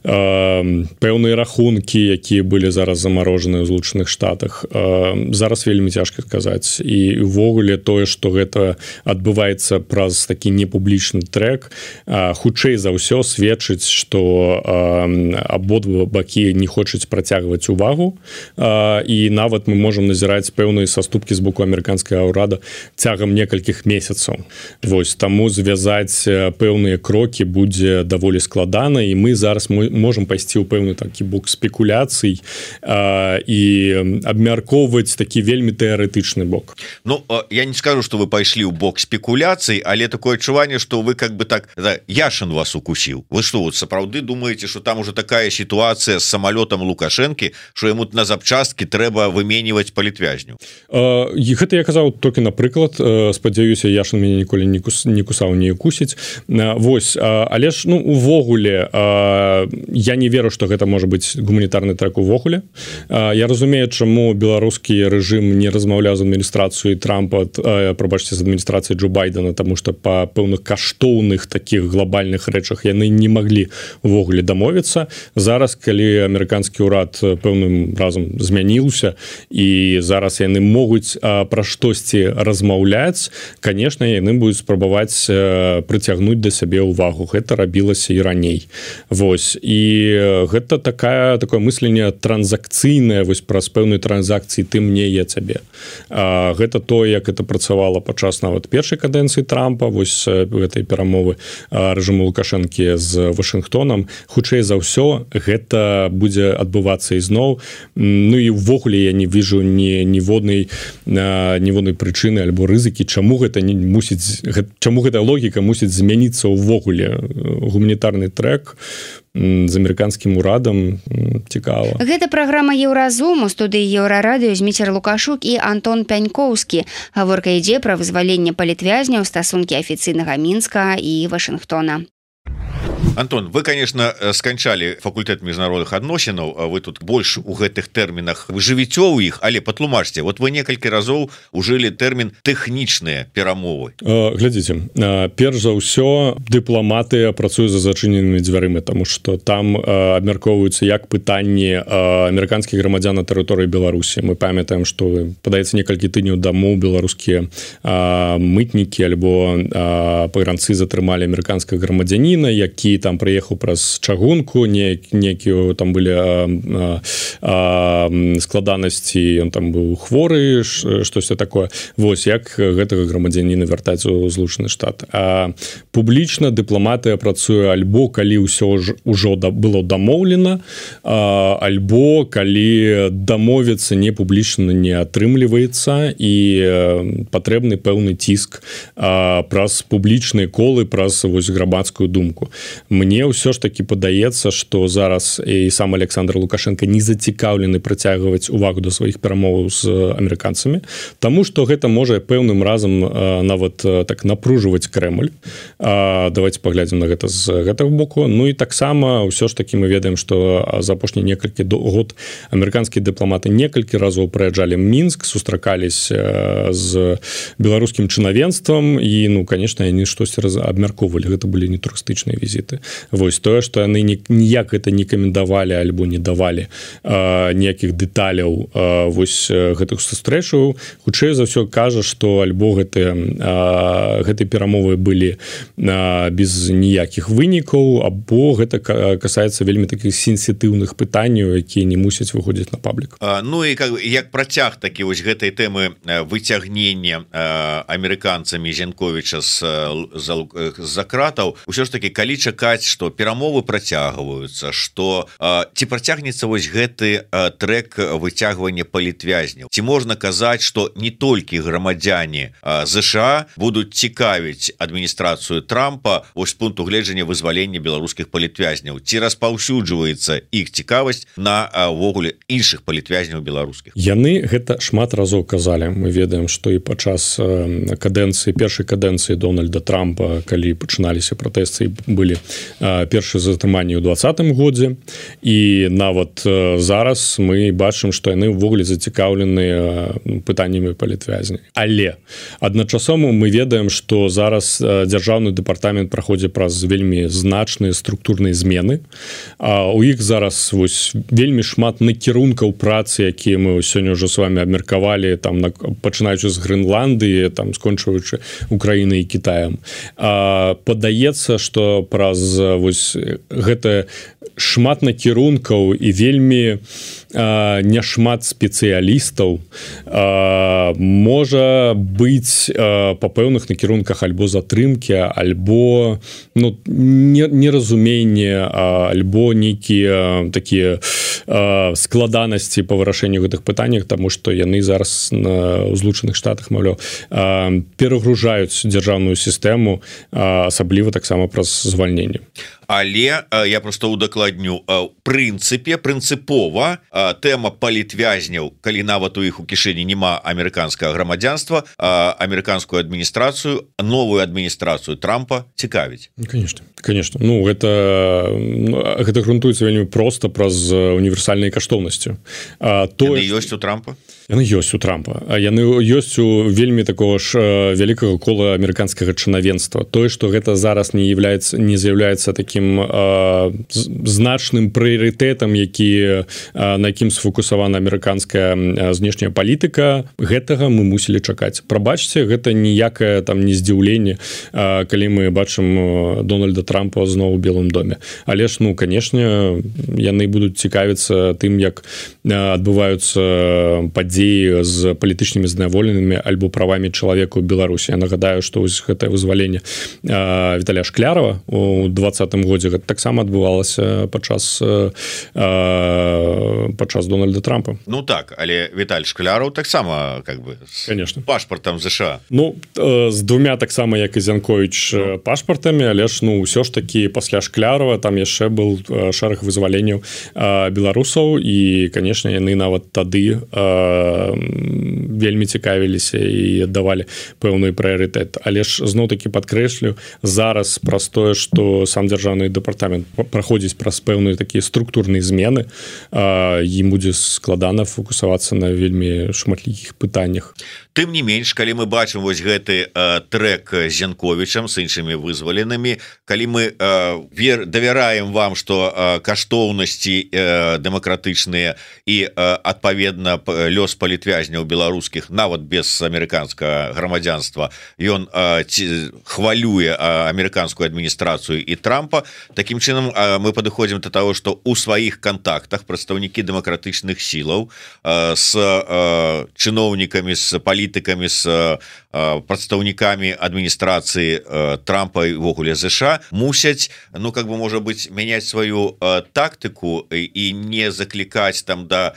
F: пэўныя рахункі, якія былі зараз замарожаныя ў Злучаных Штатах. Зараз вельмі цяжка сказаць. І ўвогуле тое, што гэта адбываецца праз такі непублічны трек, хутчэй за ўсё сведчыць, што абодва бакі не хочуць працягваць увагу, і нават мы можам назіраць пэўныя саступкі з боку амерыканскага ўрада цягам некалькіх месяцаў. Вось, таму звязаць пэўныя крокі будзе даволі складана, і мы зараз можам пайсці ў пэўны такі бок спекуляцый і абмяркоўваць такі вельмі тэарэтычны бок.
G: Ну, я не скажу, что вы пайшлі ў бок спекуляцый, але такое адчуванне, что вы как бы так Яшин вас укусіў. Вы что, вот сапраўды думаете, что там уже такая ситуация с самолетом Лукашенко, что ему на запчастки трэба выменьваць палітвязню?
F: Гэта я казаў толькі напрыклад, спадзяюся, Яшин мяне ніколі не кусаў, не кусіць. Вось, але ж, ну, увогуле я не веру, что гэта можа быць гуманітарны трек увогуле. Я разумею, чаму беларускі рэжым не размаўляў з адміністрацыяй Трампа, прабачце, з адміністрацыяй Джо Байдена, таму што па пэўных каштоўных такіх глобальных рэчах яны не маглі увогуле дамовіцца. Зараз, калі амерыканскі ўрад пэўным разам змяніўся і зараз яны могуць пра штосьці размаўляць, конечно, яны будуць спрабаваць прыцягнуць да сябе ўвагу. Гэта рабілася і раней. Вось. І гэта такое мысленне транзакцыйнае, вось праз пэўнай транзакцыі ты мне, я цябе. Гэта то, як это працавала падчас нават першай кадэнцыі Трампа, вось гэтай перамовы рэжыму Лукашэнкі з Вашынгтонам. Хутчэй за ўсё гэта будзе адбывацца ізноў. Ну і ўвогуле я не вижу ніводнай прычыны альбо рызыкі, чаму гэта логіка мусіць змяніцца ўвогуле. Гуманітарны трек з амерыканскім урадам цікава.
C: Гэта праграма Еўразум, у студыі Еўрарадыё Зміцер Лукашук і Антон Пянькоўскі. Гаворка ідзе пра вызваленне палітвязняў, стасункі афіцыйнага Мінска і Вашынгтона.
G: Антон, вы, конечно, сканчалі факультэт міжнародных адносінаў, вы тут больш у гэтых тэрмінах вы жывіце ў іх, але патлумачце, вот вы некалькі разоў ужылі тэрмін тэхнічныя перамовы.
F: Глядзіце, перш за ўсё дыпламаты працуюць за зачыненымі дзвярымі, таму што там абмяркоўваюцца як пытанні амерыканскіх грамадзян на тэрыторыі Беларусі. Мы памятаем, што падаецца некалькі тыдняў таму беларускія мытнікі альбо пагранцы затрымалі амерыканскага грамадзяніна, які там прыехаў праз чагунку, некія там былі складанасці, ён там быў хворы, штосьці такое. Вось, як гэтага грамадзяніна вяртаць у Злучаны Штат. Публічна дыпламатыя працуе альбо калі ўсё ўжо было дамоўлена, альбо калі дамовіцца не публічна не атрымліваецца і патрэбны пэўны ціск праз публічныя колы, праз вось грамадскую думку. Мне ўсё ж таки падаецца, што зараз і сам Александр Лукашенко не зацікаўлены прыцягваць увагу да сваіх перамоваў з амерыканцамі, таму што гэта можа пэўным разам нават так напружваць Крэмль. Давайте паглядзім на гэта з гэтага боку. Ну і таксама ўсё ж таки мы ведаем, што за апошні некалькі год амерыканскія дыпламаты некалькі разоў прыязджалі Мінск, сустракаліся з беларускім чынавенствам і, ну, конечно, яны штосьці абмяркоўвалі. Гэта былі не турыстычныя візіты. Вось тое, што яны ніяк гэта не каментавалі альбо не давалі ніякіх дэталяў вось гэтых сустрэчаў, хутчэй за ўсё кажа, што альбо гэтыя перамовы былі без ніякіх вынікаў, або гэта касаецца вельмі такіх сенсітыўных пытанняў, якія не мусяць выходзіць на паблік.
G: Ну і як працяг такі вось гэтай тэмы выцягнення амерыканцамі Зянковіча з-за кратаў, усё ж таки, калі чакаць, што перамовы працягваюцца, што ці працягнецца вось гэты трек выцягвання палітвязняў? Ці можна казаць, што не толькі грамадзяне ЗША будуць цікавіць адміністрацыю Трампа вось з пункту гледжання вызвалення беларускіх палітвязняў? Ці распаўсюджваецца іх цікавасць на ўвогуле іншых палітвязняў беларускіх?
F: Яны гэта шмат разоў казалі. Мы ведаем, што і падчас першай кадэнцыі Дональда Трампа, калі пачыналіся пратэсты, былі першыя затрыманні ў 2020 годзе, і нават зараз мы бачым, што яны ўвогуле зацікаўлены пытаннямі палітвязняў. Але адначасова мы ведаем, што зараз дзяржаўны дэпартамент праходзіць праз вельмі значныя структурныя змены. У іх зараз вось вельмі шмат накірункаў працы, якія мы сёння ўжо з вами абмеркавалі, там пачынаючы з Грэнландыі, там скончваючы Украінай і Кітаем. Падаецца, што праз вось гэта шмат накірункаў і вельмі няшмат спецыялістаў, можа быць па пэўных накірунках альбо затрымкі, альбо неразуменне, альбо нейкія такія складанасці па вырашэнню гэтых пытаннях, таму што яны зараз на Злучаных Штатах, маўляў, перагружаюць дзяржаўную сістэму, асабліва таксама праз звальненне.
G: Але я просто удакладню, прынцыпова тэма палітвязняў, калі нават у іх у кішэні няма амерыканскага грамадзянства, амерыканскую адміністрацыю, новую адміністрацыю Трампа цікавіць.
F: Конечно. Гэта грунтуецца вельмі проста праз універсальнай каштоўнасцю.
G: Яны ёсць у Трампа?
F: Яны ёсць у Трампа. Яны ёсць у вельмі такого ж вялікага кола амерыканскага чынавенства. Тое, што гэта зараз не з'яўляецца такім значным прыярытэтам, на якім сфокусавана амерыканская знешняя палітыка, гэтага мы мусілі чакаць. Прабачце, гэта ніякае там не здзіўленне, калі мы бачым Дональда Трампа зноў у Белым доме. Але ж, канешне, яны будуць цікавіцца тым, як адбываюцца падзеі з палітычнымі зняволенымі альбо правамі чалавека ў Беларусі. Я нагадаю, што гэтае вызваленне Віталія Шклярова у 2020 годзе гэта таксама адбывалася падчас Дональда Трампа.
G: Так, але Віталь Шкляров таксама з пашпартам США.
F: З двумя таксама, як і Зянковіч, пашпартамі, але ж ўсё ж такі пасля Шклярова там яшчэ был шэраг вызваленняў беларусаў, і, канешне, яны нават тады вельмі цікавіліся і аддавалі пэўны прыярытэт. Але ж зноў-такі падкрэслю, зараз праз тое, што сам дзяржаўны дэпартамент праходзіць праз пэўныя такія структурныя змены, ім будзе складана фокусавацца на вельмі шматлікіх пытаннях.
G: Тым не менш, калі мы бачым вось гэты трэк з Зянковічам, з іншымі вызваленымі, калі мы давяраем вам, што каштоўнасці дэмакратычныя і, адпаведна, лёс палітвязняў беларускіх, нават без амерыканскага грамадзянства, ён хвалюе амерыканскую адміністрацыю і Трампа, такім чынам мы падыходзім да таго, што ў сваіх кантактах прадстаўнікі дэмакратычных сілаў з чыноўнікамі, з палітыкамі, з прадстаўнікамі адміністрацыі Трампа і ввогуле США мусяць, можа быць, мяняць сваю тактыку і не заклікаць там да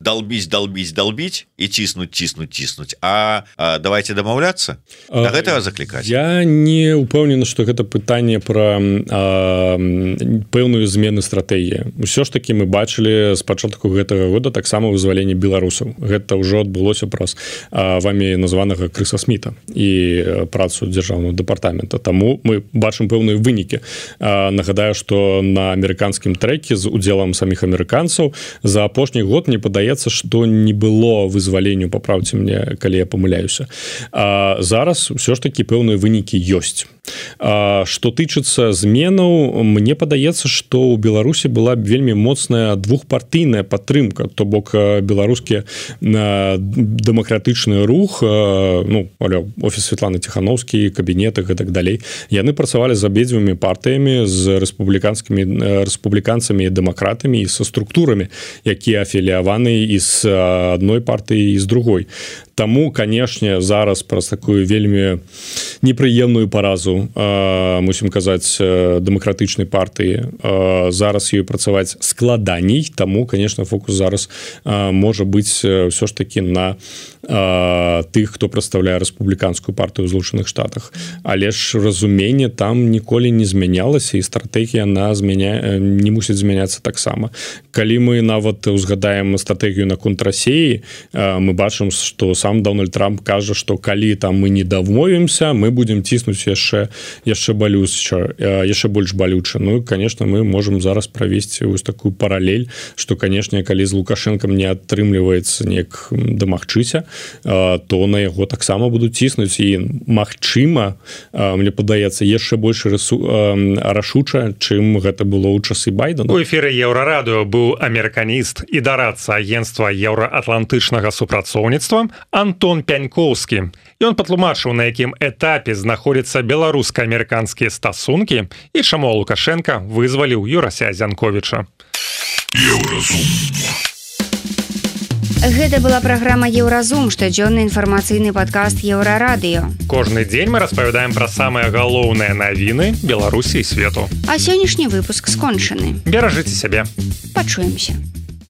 G: далбіць і ціснуць, а давайте дамаўляцца, да гэтага заклікаць.
F: Я не ўпэўнены, што гэта пытанне пра пэўную змену стратэгіі. Усё ж такі мы бачылі з пачатку гэтага года таксама вызваленне беларусаў. Гэта ўжо адбылося праз вамі названага Крыса Сміта і працу дзяржаўнага дэпартамента. Таму мы бачым пэўныя вынікі. Нагадаю, што на амерыканскім трэке з удзелам саміх амерыканцаў за апошні год мне падаецца, што не было вызваленню, паправце мне, калі я памыляюся. Зараз ўсё ж такі пэўныя вынікі ёсць. Што тычыцца зменаў, мне падаецца, што ў Беларусі была вельмі моцная двухпартыйная падтрымка, то бок беларускі дэмакратычны рух, офіс Светланы Ціхановскай, кабінеты і так далей, яны працавалі з абедзвюмі партыямі, з рэспубліканцамі і дэмакратамі і са структурамі, якія афіліяваны і з адной партыі і з другой. Таму, канешне, зараз праз такую вельмі непрыемную паразу, мусім казаць, дэмакратычнай партыі, зараз ёй працаваць складаней, таму, канешне, фокус зараз можа быць ўсё ж такі на тых, хто прадстаўляе рэспубліканскую партыю ў Злучаных Штатах. Але ж разуменне там ніколі не змянялася, і стратэгія не мусіць змяняцца таксама. Калі мы нават узгадаем стратэгію наконт Расіі, мы бачым, што сам Дональд Трамп кажа, што калі там мы не дамовімся, мы будзем ціснуць яшчэ больш балюча. Конечно, мы можем зараз правесці вось такую паралель, што, канешне, калі з Лукашэнкам не атрымліваецца неяк дамагчыся, то на яго таксама будуць ціснуць, і магчыма, мне падаецца, яшчэ больш рашуча, чым гэта было ў часы Байдена.
B: У эфіры Еўрарадыё быў амерыканіст і дарадца агенцтва еўраатлантычнага супрацоўніцтва Антон Пянькоўскі. Ён патлумачыў, на якім этапе знаходзяцца беларуска-амерыканскія стасункі і чаму Лукашенка вызваліў Юрася Зянковіча.
C: Гэта была праграма «Еўразум», штодзённы інфармацыйны падкаст «Еўрарадыё».
B: Кожны дзень мы распавядаем пра самыя галоўныя навіны Беларусі і свету.
C: А сённяшні выпуск скончаны.
B: Беражыце сябе.
C: Пачуемся.